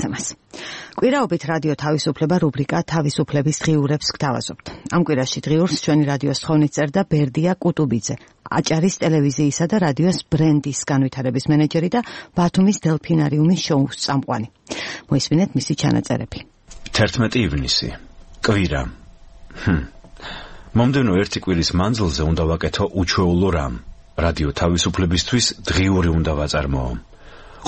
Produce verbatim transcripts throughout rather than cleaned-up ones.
თემას. კვირაობით რადიო თავისუფლება რუბრიკა თავისუფლების დღიურებს გთავაზობთ. ამ კვირაში დღიურს ჩვენი რადიოს თხოვნით წერდა ბერდია კუტუბიძე, აჭარის ტელევიზიისა და რადიოს ბრენდის განვითარების მენეჯერი და ბათუმის დელფინარიუმის შოუს წამყვანი. მოისმინეთ მისი ჩანაწერები. თერთმეტი ივნისი. კვირა. ჰმ. მომდევნო ერთი კვირის მანძილზე უნდა ვაკეთო უჩვეულო რამ. რადიო თავისუფლებისთვის დღიური უნდა ვაწარმოო.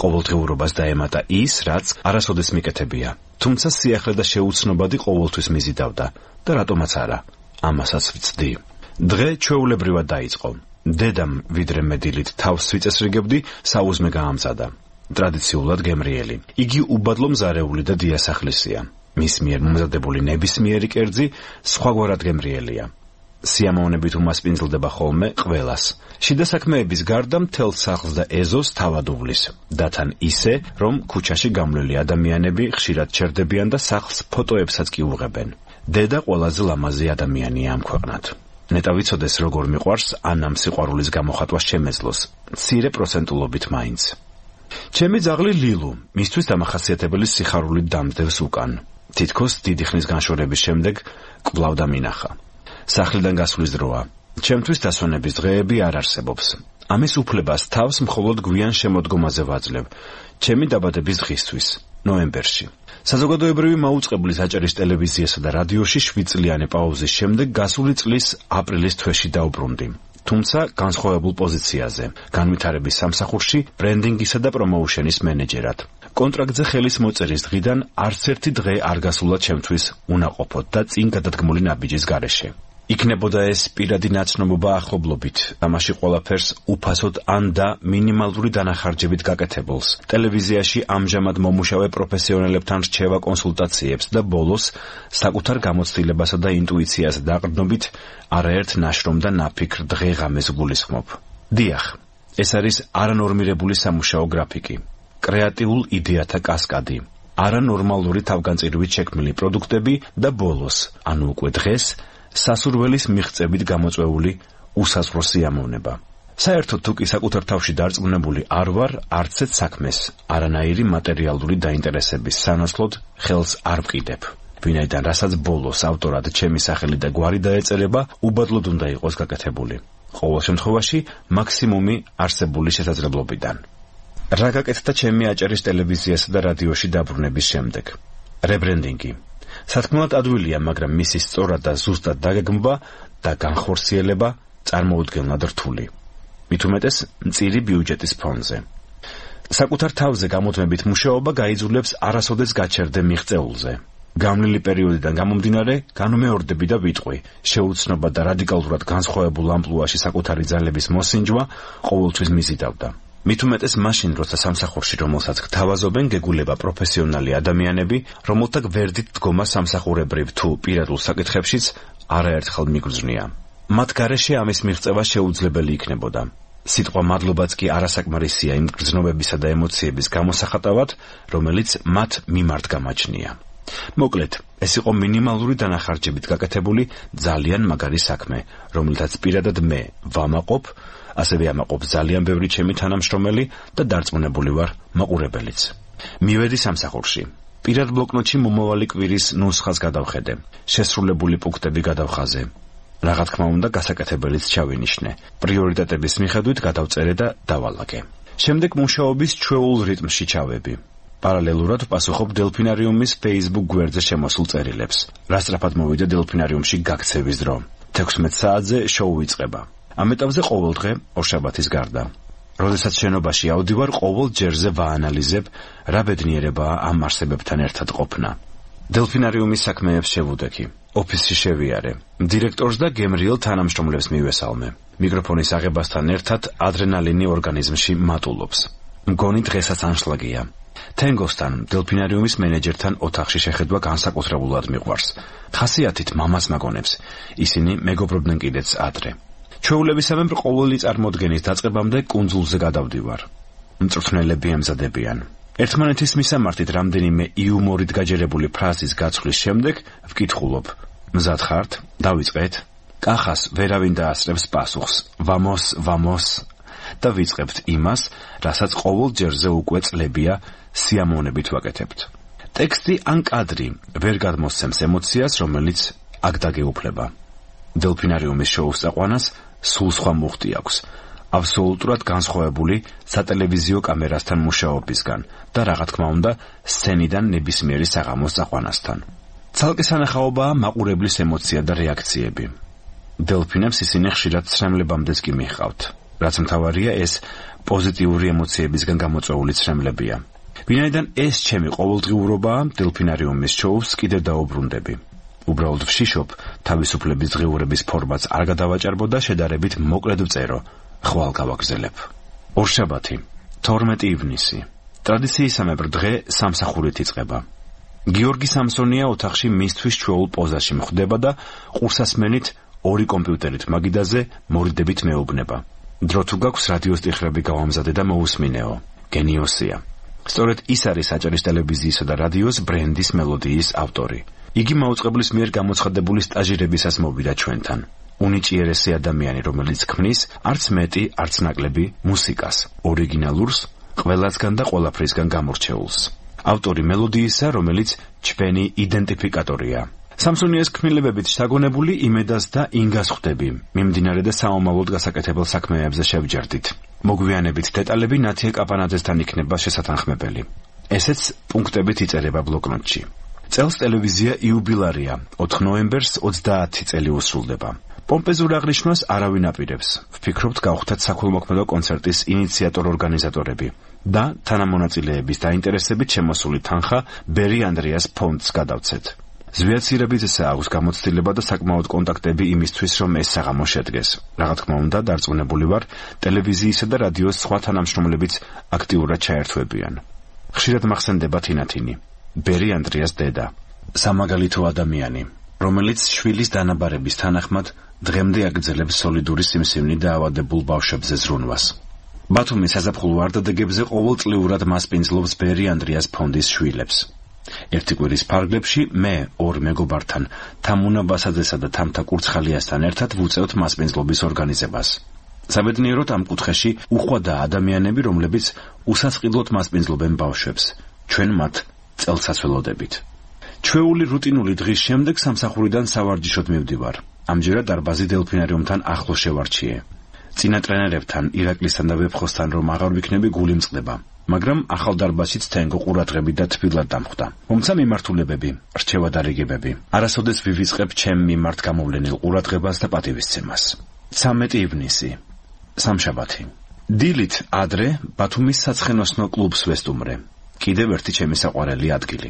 ყოველდღიურობას დაემატა ის, რაც არასოდეს მიკეთებია. თუმცა სიახლე და შეუცნობადი ყოველთვის მიზიდავდა და რატომაც არა, ამასაც ვწდი. დღე ჩვეულებრივად დაიწყო. დედამ ვიდრე მე დილით თავს ვიწესრიგებდი, საუზმე გაამწადა. ტრადიციულად გემრიელი. იგი უბადლო მზარეული და დიასახლისია. მის მიერ მომზადებული ნებისმიერი კერძი სხვაგვარად გემრიელია. სიამოვნებით უმასპინძლდება ხოლმე ყველას. შიდა საქმეების გარდა მთელ სახლს და ეზოს თავად უვლის. დათან ისე, რომ ქუჩაში გამლელი ადამიანები ხშირად ჩერდებიან და სახლს ფოტოებსაც კი უღებენ. დედა ყველაზე ლამაზი ადამიანია ამ ქვეყნად. ნეტა ვიცოდეს როგორ მიყვარს ან ამ სიყვარულის გამოხატვა შემეძლოს. მცირე პროცენტულობით მაინც. ჩემი ძაღლი ლილუ, მისთვის დამახასიათებელი სიხარულით დამძდევს უკან. თითქოს დიდი ხნის განშორების შემდეგ კვლავ დამინახა. სახლიდან გასვლის დროა. ჩემთვის დასვენების დღეები არ არსებობს. ამის უფლებას თავს მხოლოდ გვიან შემოდგომაზე ვაძლევ. ჩემი დაბადების დღისთვის, ნოემბერში. საზოგადოებრივი მაუწყებლის აჭარის ტელევიზიასა და რადიოში შვიდწლიანი პაუზის შემდეგ გასული წლის აპრილის თვეში დაუბრუნდი. თუმცა განსხვავებულ პოზიციაზე, განვითარების სამსახურში, ბრენდინგისა და პრომოუშენის მენეჯერად. კონტრაქტზე ხელის მოწერის დღიდან არც ერთი დღე არ გასულა ჩემთვის უნაყოფოდ და წინ გადადგმული ნაბიჯის გარეშე. იქნებოდა ეს პირადი ნაცნობობა ახლობლობით, ამაში ყველაფერს უფასოდ ან და მინიმალური დანახარჯებით გაკეთებულს, ტელევიზიაში ამჟამად მომუშავე პროფესიონალებთან რჩევა კონსულტაციებს და ბოლოს საკუთარ გამოცდილებასა და ინტუიციას დაყრდნობით არაერთ ნაშრომ და ნაფიქრ დღე-ღამეს გულისხმობ. დიახ, ეს არის არანორმირებული სამუშაო გრაფიკი, კრეატიულ იდეათა კასკადი, არანორმალური თავგანწირვით შექმნილი პროდუქტები და ბოლოს, ანუ უკვე დღეს, სასურველის მიღწევით გამოწვეული უსასრულო სიამოვნება. საერთოდ თუ კი საკუთარ თავში დარწმუნებული არ ვარ არცეთ საქმეს, არანაირი მატერიალური დაინტერესების სანაცვლოდ ხელს არ ვყიდებ. ვინაიდან რასაც ბოლოს ავტორად ჩემი სახელი და გვარი დაეწერება, უბადლოდ უნდა იყოს გაკეთებული. ყოველ შემთხვევაში მაქსიმუმი არსებული შესაძლებლობიდან. რა გაკეთდა ჩემი აჭარის ტელევიზიასა და რადიოში დაბრუნების შემდეგ? რებრენდინგი. სათქმელად ადვილია, მაგრამ მისი სწორად და ზუსტად დაგეგმვა და განხორციელება წარმოუდგენლად რთული. მით უმეტეს მწირი ბიუჯეტის ფონზე. საკუთარ თავზე გამოდმებით მუშაობა გაიძულებს არასოდეს გაჩერდე მიღწეულზე. გამლილი პერიოდიდან გამომდინარე, განუმეორდები და ვიტყვი, შეუცნობა და რადიკალურად განსხვავებულ ამპლუაში საკუთარი ძალების მოსინჯვა ყოველთვის მიზიდავდა. მით უმეტეს მაშინ, როცა სამსახურში რომელსაც გთავაზობენ, გეგულება პროფესიონალი ადამიანები, რომელთა გვერდით დგომა სამსახურებრივ თუ პირადულ საკითხებშიც არაერთხელ მიგრძნია. მათ გარეშე ამის მიღწევა შეუძლებელი იქნებოდა. სიტყვა მადლობაც კი არასაკმარისია იმ გრძნობებისა და ემოციების გამოსახატავად, რომელიც მათ მიმართ გამაჩნია. მოკლედ, ეს იყო მინიმალური დანახარჯებით გაკეთებული ძალიან მაგარი საქმე, რომელთაც პირადად მე ვამაყობ, ასევე ამაყობ ძალიან ბევრი ჩემი თანამშრომელი და დარწმუნებული ვარ მაყურებელიც. მივედი სამსახურში. პირად ბლოკნოტში მომავალი კვირის ნუსხას გადავხედე. შესრულებული პუნქტები გადავხაზე. რა თქმა უნდა, გასაკეთებელიც ჩავინიშნე. პრიორიტეტების მიხედვით გადავწერე და დავალაგე. შემდეგ მუშაობის ჩვეულ რიტმში ჩავები. პარალელურად პასუხობ დელფინარიუმის Facebook გვერდზე შემოსულ წერილებს. რა სწრაფად მოვიდა დელფინარიუმში გაქცევის დრო. თექვსმეტ საათზე შოუ იწყება. ამ ეტაპზე ყოველ დღე ორშაბათის გარდა. როდესაც შენობაში ავდივარ, ყოველ ჯერზე ვაანალიზებ, რა ბედნიერებაა ამ არსებებთან ერთად ყოფნა. დელფინარიუმის საქმეებს შევუდექი. ოფისში შევიარე. დირექტორს და გემრიელ თანამშრომლებს მივესალმე. მიკროფონის აღებასთან ერთად ადრენალინი ორგანიზმში მატულობს. მგონი დღესაც ანშლაგია. თენგოსთან, დელფინარიუმის მენეჯერთან ოთახში შეხედვა განსაკუთრებულად მიყვარს. ხასიათით მამას მაგონებს. ისინი მეგობრობდნენ კიდეც ადრე. ჩვეულებისამებრ ყოველი წარმოდგენის დაწყებამდე კუნძულზე გადავდივარ. მწვრთნელები ემზადებიან. ერთმანეთის მისამართით რამდენიმე იუმორით გაჯერებული ფრაზის გაცვლის შემდეგ ვკითხულობ: მზად ხართ? დავიწყეთ? კახას ვერავინ დაასწრებს პასუხს: ვამოს, ვამოს. და ვიწყებთ იმას, რასაც ყოველ ჯერზე უკვე წლებია სიამოვნებით ვაკეთებთ. ტექსტი ან კადრი ვერ გადმოსცემს ემოციას, რომელიც აქ დაგეუფლება. დელფინარიუმის შოუს წაყვანას სულ სხვა მუხტი აქვს, აბსოლუტურად განსხვავებული სატელევიზიო კამერასთან მუშაობისგან და რა თქმა უნდა, სცენიდან ნებისმიერი საღამოს წაყვანასთან. ცალკე სანახაობაა მაყურებლის ემოცია და რეაქციები. დელფინებს ისინი ხშირად ცრემლებამდეც კი მიჰყავთ, რაც მთავარია ეს პოზიტიური ემოციებისგან გამოწვეული ცრემლებია. ვინაიდან ეს ჩემი ყოველდღიურობაა, დელფინარიუმის შოუს კიდევ დაუბრუნდები. უბრალოდ ვშიშობ, თავისუფლების დღიურების ფორმატს არ გადავაჭარბო და შედარებით მოკლედ ვწერო, ხვალ გავაგზელებ. ორშაბათი, თორმეტი ივნისი. ტრადიციისამებრ დღე სამსახურით იწყება. გიორგი სამსონია ოთახში მისთვის ჩვეულ პოზაში მხვდება და ყურსასმენით ორი კომპიუტერით მაგიდაზე მორიდებით მეუბნება. დრო თუ გაქვს რადიოს ტიხრები გავამზადე და მოусმინეო. გენიოსია. სწორედ ის არის აჭარის ტელევიზიისა და რადიოს ბრენდის მელოდიის ავტორი. იგი მაუწყებლის მიერ გამოცხადებული სტაჟირებისას მოვიდა ჩვენთან. უნიჭიერესი ადამიანი, რომელიც ქმნის არც მეტი, არც ნაკლები მუსიკას, ორიგინალურს, ყველასგან და ყველაფრისგან გამორჩეულს. ავტორი მელოდიისა, რომელიც ჩვენი იდენტიფიკატორია. სამსონიას ქმნილებებით შთაგონებული იმედას და ინგას ხვდები. მიმდინარე და საომალოდ გასაკეთებელ საქმეებზე შევჯერდით. მოგვიანებით დეტალები ნათია კაპანაძესთან იქნება შესათანხმებელი. ესეც პუნქტებით იწერება ბლოკნოტში. წელს ტელევიზია იუბილარია, ოთხ ნოემბერს ოცდაათი წელი უსრულდება. პომპეზურ აღნიშვნას არავინ აპირებს. ვფიქრობთ გავხდათ საქველმოქმედო კონცერტის ინიციატორ-ორგანიზატორები და თანამონაწილეების დაინტერესებით შემოსული თანხა ბერი ანდრიას ფონდს გადავცეთ. ზვიაცირებითესა აქვს გამოცდილება და საკმაოდ კონტაქტები იმისთვის, რომ ეს საღამო შედგეს. რა თქმა უნდა, დარწმუნებული ვარ, ტელევიზიისა და რადიოს სხვა თანამშრომლებიც აქტიურად ჩაერთვებიან. ხშირად მახსენდება თინათინი, ბერი ანდრიას დედა, სამაგალითო ადამიანი, რომელიც შვილის დანაბარების თანახმად დღემდე აგრძელებს სოლიდური სიმსივნით დაავადებულ ბავშვებზე ზრუნვას. ბათუმის საზაფხულო არდადეგებზე ყოველწლიურად მასპინძლობს ბერი ანდრიას ფონდის შვილებს. ერთი კვირის ფარგლებში მე ორ მეგობართან, თამუნა ბასაძესა და თამთა კურცხალიასთან ერთად ვუწევთ მასპინძლობის ორგანიზებას. საბედნიეროდ ამ კუთხეში უხვადაა ადამიანები, რომლებიც უსასყიდლოდ მასპინძლობენ ბავშვებს. ჩვენ მათ წელსაც ველოდებით. ჩვეული რუტინული დღის შემდეგ სამსახურიდან სავარჯიშოდ მივდივარ. ამჯერად დარბაზი დელფინარიუმთან ახლოს შევარჩიე. წინა ტრენერებთან, ირაკლისთან და ვეფხოსთან რომ აღარ ვიქნები, გული მწყდება. მაგრამ ახალ დარბაზშიც თენგო ყურადღები და თბილად დამხვდა. მომცა მიმართულებები, რჩევა და რიგებები. არასოდეს ვივიწყებ ჩემ მიმართ გამოვლენილ ყურადღებას და პატივისცემას. ცამეტი ივნისი, სამშაბათი. დილით ადრე ბათუმის საცხენოსნო კლუბს ვესტუმრე. კიდევ ერთი ჩემი საყვარელი ადგილი.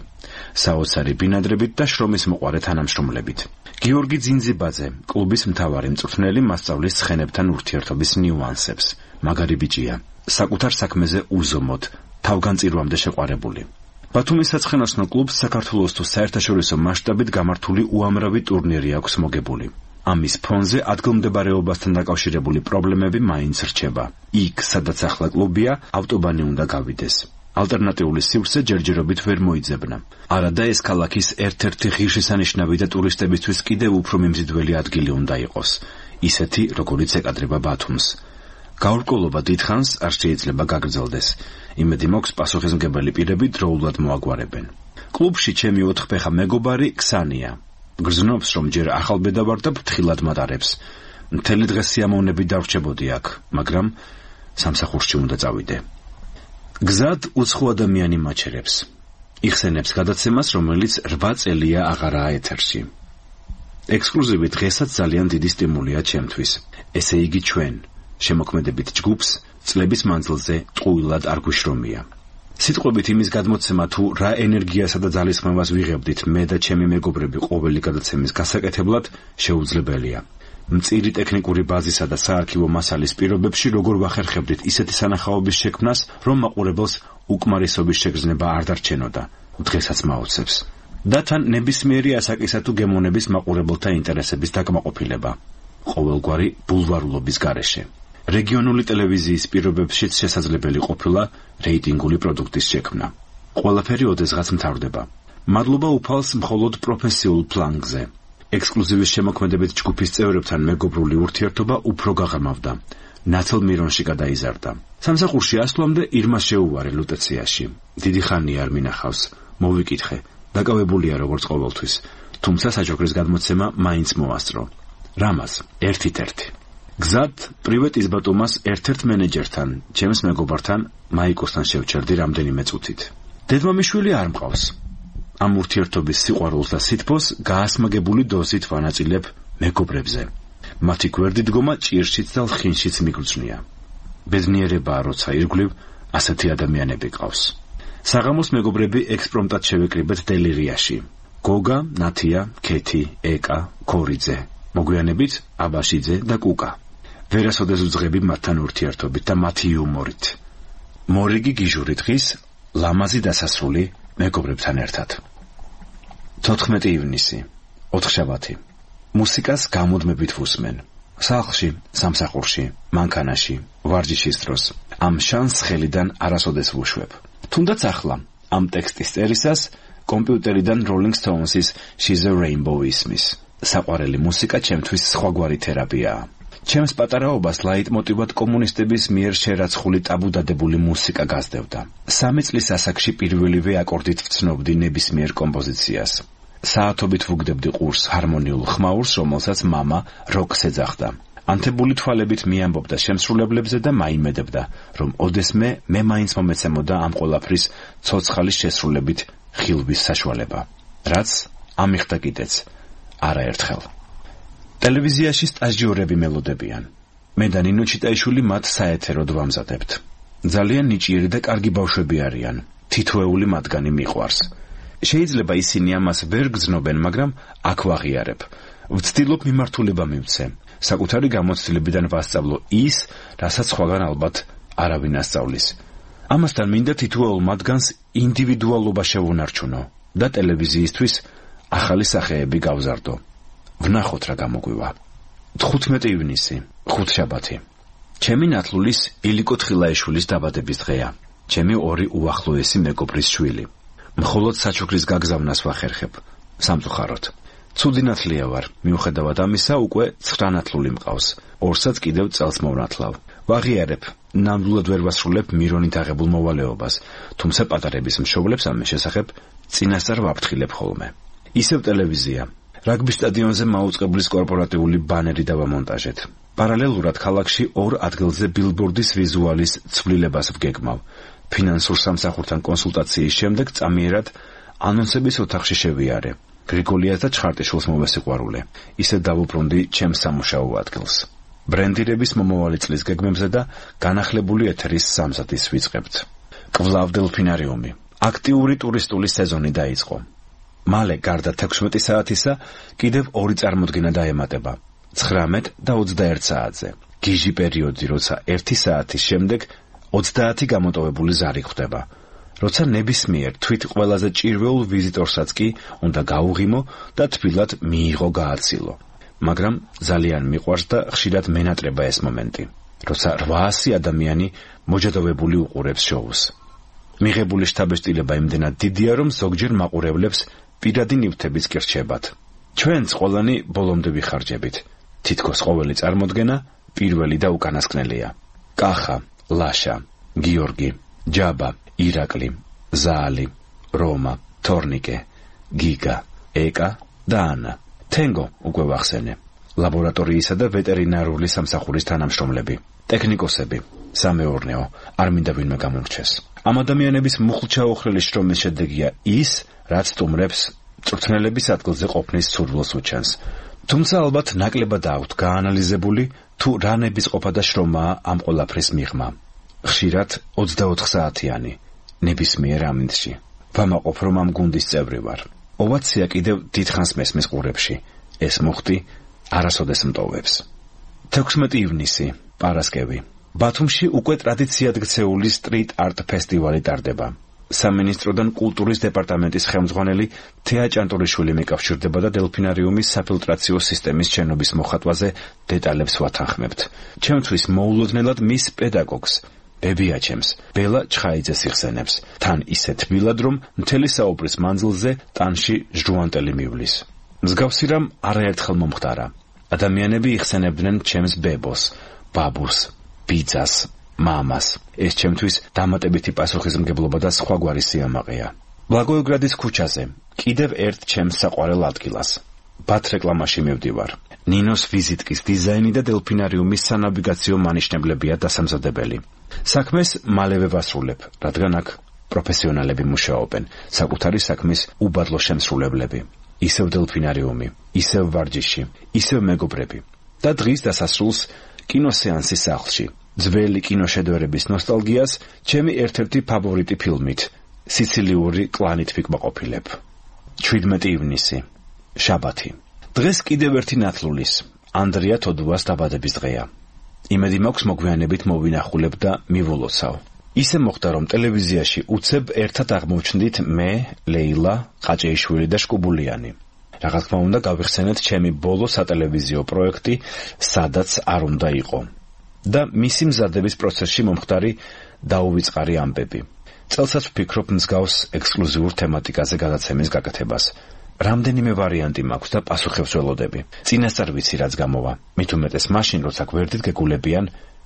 საოცარი ბინადრებით და შრომის მოყვარე თანამშრომლებით. გიორგი ძინძიბაძე, კლუბის მთავარი მწვრთნელი, მასწავლის ცხენებთან ურთიერთობის ნიუანსებს. მაგარი ბიჭია, საკუთარ საქმეზე უზომოდ, თავგანწირვამდე შეყვარებული. ბათუმის საცხენოსნო კლუბს საქართველოს თუ საერთაშორისო მასშტაბით გამართული უამრავი ტურნირი აქვს მოგებული. ამის ფონზე ადგილმდებარეობასთან დაკავშირებული პრობლემები მაინც რჩება. იქ, სადაც ახლა კლუბია, ავტობანი უნდა გავიდეს. ალტერნატიული სივრცე ჯერჯერობით ვერ მოიძებნა. არადა ეს ქალაქის ერთ-ერთი ღირსშესანიშნავი და ტურისტებისთვის კიდევ უფრო მიმზიდველი ადგილი უნდა იყოს, ისეთი, როგორიც ეკადრება ბათუმს. გაურკვევლობა დიდხანს არ შეიძლება გაგრძელდეს. იმედი მაქვს, პასუხისმგებელი პირები დროულად მოაგვარებენ. კლუბში ჩემი ოთხფეხა მეგობარი ქსანია. გრძნობს, რომ ჯერ ახალბედა ვარ და ფრთხილად მატარებს. მთელი დღე სიამოვნებით დავრჩებოდი აქ, მაგრამ სამსახურში უნდა წავიდე. გზად უცხო ადამიანი მაჩერებს. იხსენებს გადაცემას, რომელიც რვა წელია აღარაა ეთერში. ექსკლუზივი დღესაც ძალიან დიდი სტიმულია ჩემთვის. ესე იგი ჩვენ, შემოქმედებით ჯგუფს, წლების მანძილზე ტყუილად არ გვიშრომია. სიტყვებით იმის გადმოცემა, თუ რა ენერგიასა და ძალისხმევას ვიღებდით მე და ჩემი მეგობრები ყოველი გადაცემის გასაკეთებლად, შეუძლებელია. მწირი ტექნიკური ბაზისა და საარქივო მასალის პირობებში როგორ ვახერხებდით ისეთი სანახაობის შექმნას, რომ მაყურებელს უკმარისობის შეგრძნება არ დარჩენოდა, დღესაც მაოცებს. და თან ნებისმიერი ასაკისა თუ გემოვნების მაყურებელთა ინტერესების დაკმაყოფილება, ყოველგვარი ბულვარულობის გარეშე. რეგიონული ტელევიზიის პირობებშიც შესაძლებელი ყოფილა რეიტინგული პროდუქტის შექმნა. ყველაფერი ოდესღაც მთავრდება. მადლობა უფალს მხოლოდ პროფესიულ პლანზე. ექსკლუზივის შემოქმედებით ჯგუფის წევრებთან მეგობრული ურთიერთობა უფრო გაღრმავდა. ნათელ მირონში გადაიზარდა. სამსახურში ასვლამდე ირმა შეუვარე ლუტეციაში. დიდი ხანი არ მინახავს. მოვიკითხე, დაკავებულია როგორც ყოველთვის, თუმცა საჩუქრის გადმოცემა მაინც მოასწრო. რამას, ერთით ერთი. გზად პრივეტ იზბატუმას ერთ-ერთ მენეჯერთან, ჩემს მეგობართან, მაიკოსთან შევჩერდი რამდენიმე წუთით. დედმამიშვილი არ მყავს. ამ ურთიერთობის სიყვარულს და სითბოს გაასმაგებული დოზით ვანაწილებ მეგობრებზე. მათი გვერდი დგომა ჭირშიც და ლხინშიც მიგრძნია. ბედნიერებაა, როცა ირგვლივ ასეთი ადამიანები ყავს. საღამოს მეგობრები ექსპრომტად შევეკრიბეთ დელირიაში. გოგა, ნათია, ქეთი, ეკა, ქორიძე, მოგვიანებით აბაშიძე და კუკა. ვერასოდეს უძღები მათთან ურთიერთობით და მათი იუმორით. მორიგი გიჟური დღის, ლამაზი დასასრული მეგობრებთან ერთად. თოთხმეტი ივნისი, ოთხშაბათი. მუსიკას გამუდმებით ვუსმენ. სახლში, სამსახურში, მანქანაში, ვარჯიშის დროს. ამ შანს ხელიდან არასოდეს ვუშვებ. თუნდაც ახლა, ამ ტექსტის წერისას, კომპიუტერიდან Rolling Stones-ის She's a Rainbow ისმის. საყვარელი მუსიკა ჩემთვის სხვაგვარი თერაპიაა. ჩემს პატარაობას ლაიტმოტივად კომუნისტების მიერ შერაცხული ტაბუდადებული მუსიკა გასდევდა. სამი წლის ასაკში პირველივე აკორდით ვცნობდი ნებისმიერ კომპოზიციას. საათობით ვუგდებდი ყურს ჰარმონიულ ხმაურს, რომელსაც მამა როკს ეძახდა. ანთებული თვალებით მიამბობდა შემსრულებლებზე და მაიმედებდა, რომ ოდესმე მე მაინც მომეცემოდა ამ ყველაფრის ცოცხალის შესრულებით ხილვის საშუალება. რაც ამიხდა კიდეც არაერთხელ. ტელევიზიაში სტაჟიორები მელოდებიან. მე და ნინო ჩიტაიშვილი მათ საეთეროდ ვამზადებთ. ძალიან ნიჭიერი და კარგი ბავშვები არიან. თითოეული მათგანი მიყვარს. შეიძლება ისინი ამას ვერ გრძნობენ, მაგრამ აქ ვაღიარებ. ვცდილობ მიმართულება მივცე. საკუთარი გამოცდილებიდან ვასწავლო ის, რასაც სხვაგან ალბათ არავინ ასწავლის. ამასთან მინდა თითოეულ მათგანს ინდივიდუალობა შევუნარჩუნო და ტელევიზიისთვის ახალი სახეები გავზარდო. ვნახოთ რა გამოგვივა. თხუთმეტი ივნისი, ხუთშაბათი. ჩემი ნათლულის ილიკო თხილაიშვილის დაბადების დღეა. ჩემი ორი უახლოესი მეგობრის შვილი. მხოლოდ საჩუქრის გაგზავნას ვახერხებ. სამწუხაროდ. ცუდი ნათლია ვარ, მიუხედავად ამისა უკვე ცხრა ნათლული მყავს. ორსაც კიდევ წელს მოვნათლავ. ვაღიარებ, ნამდვილად ვერ ვასრულებ მირონით აღებულ მოვალეობას, თუმცა პატარების მშობლებს ამის შესახებ წინასწარ ვაფრთხილებ ხოლმე. ისევ ტელევიზია. რაგბის სტადიონზე მაუწყებლის კორპორატიული ბანერი დავამონტაჟეთ. პარალელურად ქალაქში ორ ადგილზე ბილბორდის ვიზუალის ცვლილებას ვგეგმავ. ფინანსურ სამსახურთან კონსულტაციის შემდეგ წამიერად ანონსების ოთახში შევიარე. გრიგოლიას და ჩხარტიშვილს მოვესიყვარულე. ისე დავუბრუნდი ჩემს სამუშაო ადგილს. ბრენდირების მომავალი წლის გეგმებზე და განახლებული ეთერის სამზადისს ვიწყებთ. კვლავ დელფინარიუმი. აქტიური ტურისტული სეზონი დაიწყო. მალე გარდა თექვსმეტი საათისა კიდევ ორი წარმოდგენა დაემატება. ცხრამეტ და ოცდაერთ საათზე. გიჟი პერიოდი, როცა ერთი საათის შემდეგ ოცდაათი გამოტოვებული ზარი ხვდება. როცა ნებისმიერ თვით ყველაზე ჭირვეულ ვიზიტორსაც კი უნდა გაუღიმო და თბილად მიიღო გააცილო. მაგრამ ძალიან მიყვარს და ხშირად მენატრება ეს მომენტი, როცა რვაასი ადამიანი მოჯადოვებული უყურებს შოუს. მიღებული შთაბეჭდილება იმდენად დიდია, რომ ზოგჯერ მაყურებლებს პირადი ნივთებიც კი რჩებათ. ჩვენც ყველანი ბოლომდე ვიხარჯებით. თითქოს ყოველი წარმოდგენა პირველი და უკანასკნელია. კახა, ლაშა, გიორგი, ჯაბა, ირაკლი, ზაალი, რომა, თორნიკე, გიგა, ეკა და ანა. თენგო უკვე ვახსენე. ლაბორატორიისა და ვეტერინარული სამსახურის თანამშრომლები, ტექნიკოსები, სამეურნეო, არ მინდა ვინმე გამორჩეს. ამ ადამიანების მუხლჩაოხრელი შრომის შედეგია ის, რაც სტუმრებს მწვრთნელების ადგილზე ყოფნის სურვილს უჩენს. თუმცა ალბათ ნაკლებად აქვთ გაანალიზებული თუ რა ნებისყოფა და შრომაა ამ ყველაფრის მიღმა. ხშირად ოცდაოთხ საათიანი, ნებისმიერ ამინდში. ვამაყობ, რომ ამ გუნდის წევრი ვარ. ოვაცია კიდევ დიდხანს მესმის ყურებში. ეს მუხტი არასოდეს მტოვებს. თექვსმეტი ივნისი, პარასკევი. ბათუმში უკვე ტრადიციად გცეული სტრიტ არტ ფესტივალი ტარდება. სამინისტროდან კულტურის დეპარტამენტის ხელმძღვანელი თეა ჭანტურიშვილი მეკავშირდება და დელფინარიუმის საფილტრაციო სისტემის შენობის მოხატვაზე დეტალებს ვათანხმებთ. ჩემთვის მოულოდნელად მის პედაგოგს, ბებიაჩემს, ბელა ჩხაიძეს იხსენებს, თან ისე თბილად, რომ მთელი საუბრის მანძილზე ტანში ჟუანტელი მივლის. მსგავსი რამ არაერთხელ მომხდარა. ადამიანები იხსენებდნენ ჩემს ბებოს, ბაბუს, ბიძას, მამას. ეს ჩემთვის დამატებითი პასუხისმგებლობა და სხვაგვარი სიამაყეა. ბლაგოევგრადის ქუჩაზე, კიდევ ერთ ჩემს საყვარელ ადგილას. ბათ რეკლამაში მივდივარ. ნინოს ვიზიტკის დიზაინი და დელფინარიუმის სანავიგაციო მანიშნებლებია დასამზადებელი. საქმეს მალევე ვასრულებ, რადგან აქ პროფესიონალები მუშაობენ, საკუთარი საქმის უბადლო შემსრულებლები. ისევ დელფინარიუმი, ისევ ვარჯიში, ისევ მეგობრები. და დღის დასასრულს კინოსეანსის სახლში. ძველი კინოშედევრების ნოსტალგიას ჩემი ერთ-ერთი ფავორიტი ფილმით, სიცილიური კლანით ვიკმაყოფილებ. შვიდმეტი ივნისი, შაბათი. დღეს კიდევ ერთი ნათლულის, ანდრია თოდუას დაბადების დღეა. იმედი მაქვს მოგვიანებით მოვინახულებ და მივულოცავ. ისე მოხდა, რომ ტელევიზიაში უცებ ერთად აღმოჩნდით მე, ლეილა, ყაჭეიშვილი და შკუბულიანი. რა თქმა უნდა, გავიხსენეთ ჩემი ბოლო სატელევიზიო პროექტი, სადაც არ უნდა იყო. და მისი მზადების პროცესში მომხდარი დაუვიწყარი ამბები. წელსაც ვფიქრობ მსგავს ექსკლუზიურ თემატიკაზე გადაცემის გაკეთებას. რამდენიმე ვარიანტი მაქვს და პასუხებს ველოდები. წინასწარ ვიცი რაც გამოვა. მით უმეტეს მაშინ, როცა გვერდით გეგულებიან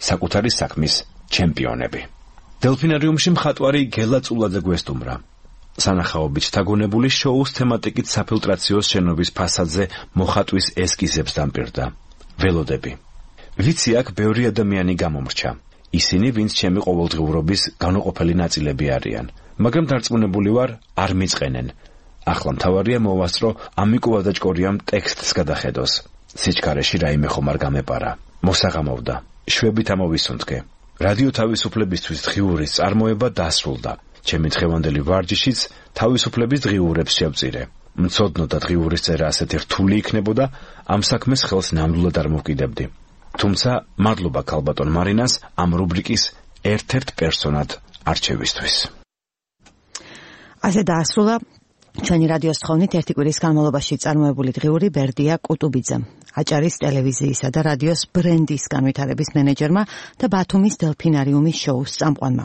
საკუთარი საქმის ჩემპიონები. დელფინარიუმში მხატვარი გელა წულაძე გვესტუმრა. სანახაობით თაგონებული შოუს თემატიკით საფილტრაციოს შენობის ფასადზე მოხატვის ესკიზებს დამპირდა. ველოდები. ვიცი აქ ბევრი ადამიანი გამომრჩა. ისინი, ვინც ჩემი ყოველდღიურობის განუყოფელი ნაწილები არიან, მაგრამ დარწმუნებული ვარ, არ მიწყენენ. ახლა მთავარია მოვასწრო ამიკო ვადაჭკორიამ ტექსტს გადახედოს. სიჩქარეში რაიმე ხომ არ გამეპარა. მოსაღამოვდა. შვებით ამოვისუნთქე. რადიო თავისუფლებისთვის დღიურის წარმოება დასრულდა. ჩემი დღევანდელი ვარჯიშიც თავისუფლების დღიურებს შევწირე. მცოდნო და დღიურის წერა ასეთი რთული იქნებოდა, ამ საქმეს ხელს ნამდვილად არ მოვკიდებდი. თუმცა მადლობა ქალბატონ მარინას ამ რუბრიკის ერთ-ერთ პერსონად არჩევისთვის. ასე დაასრულა ჩვენი რადიოს თხოვნით ერთი კვირის განმავლობაში წარმოებული დღიური ბერდია კუტუბიძემ, აჭარის ტელევიზიისა და რადიოს ბრენდის განვითარების მენეჯერმა და ბათუმის დელფინარიუმის შოუს წამყვანმა.